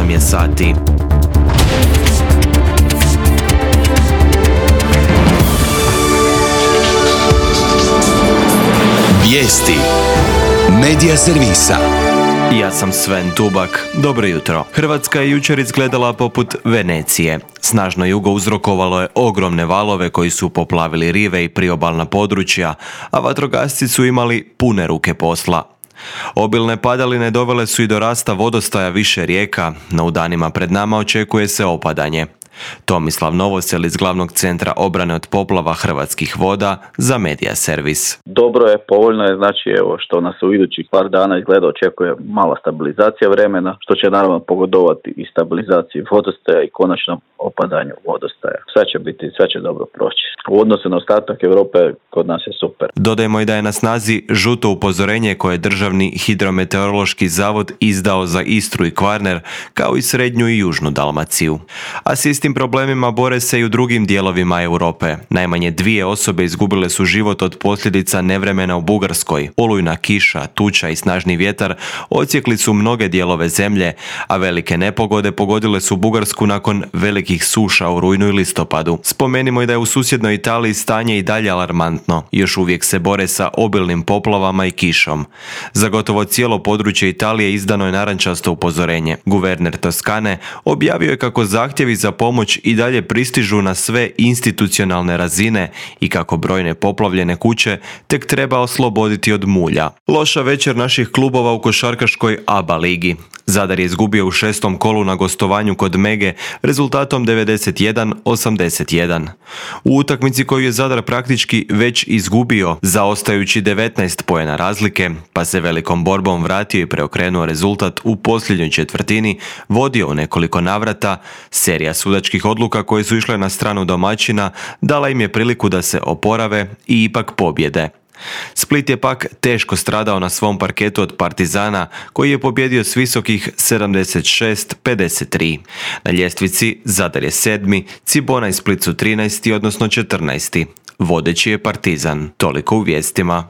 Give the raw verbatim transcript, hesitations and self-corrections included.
osam je sati. Vijesti Medija servisa. Ja sam Sven Tubak. Dobro jutro. Hrvatska je jučer izgledala poput Venecije. Snažno jugo uzrokovalo je ogromne valove koji su poplavili rive i priobalna područja, a vatrogasci su imali pune ruke posla. Obilne padaline dovele su i do rasta vodostaja više rijeka, no u danima pred nama očekuje se opadanje. Tomislav Novosel iz Glavnog centra obrane od poplava Hrvatskih voda za Medija servis. Dobro je, povoljno je, znači evo što nas u idućih par dana izgleda očekuje mala stabilizacija vremena, što će naravno pogodovati i stabilizaciji vodostaja i konačnom opadanju vodostaja. Sve će biti, sve će dobro proći. U odnosu na ostatak Europe kod nas je super. Dodajmo i da je na snazi žuto upozorenje koje je Državni hidrometeorološki zavod izdao za Istru i Kvarner, kao i srednju i južnu Dalmaciju. A s istim problemima bore se i u drugim dijelovima Europe. Najmanje dvije osobe izgubile su život od posljedica nevremena u Bugarskoj. Olujna kiša, tuča i snažni vjetar odsjekli su mnoge dijelove zemlje, a velike nepogode pogodile su Bugarsku nakon velikih suša u rujnu i listopadu. Spomenimo i da je u susjednoj Italiji stanje i dalje alarmantno. Još uvijek se bore sa obilnim poplavama i kišom. Za gotovo cijelo područje Italije izdano je narančasto upozorenje. Guverner Toskane objavio je kako zahtjevi za pomoć i dalje pristižu na sve institucionalne razine i kako brojne poplavljene kuće tek treba osloboditi od mulja. Loša večer naših klubova u košarkaškoj A B A ligi. Zadar je izgubio u šestom kolu na gostovanju kod Mege rezultatom devedeset jedan osamdeset jedan. U utakmici koju je Zadar praktički već izgubio, zaostajući devetnaest poena razlike, pa se velikom borbom vratio i preokrenuo rezultat u posljednjoj četvrtini, vodio u nekoliko navrata, serija sudačkih odluka koje su išle na stranu domaćina dala im je priliku da se oporave i ipak pobjede. Split je pak teško stradao na svom parketu od Partizana, koji je pobjedio s visokih sedamdeset šest pedeset tri. Na ljestvici Zadar je sedmi, Cibona i Split su trinaesti, odnosno četrnaesti. Vodeći je Partizan. Toliko u vijestima.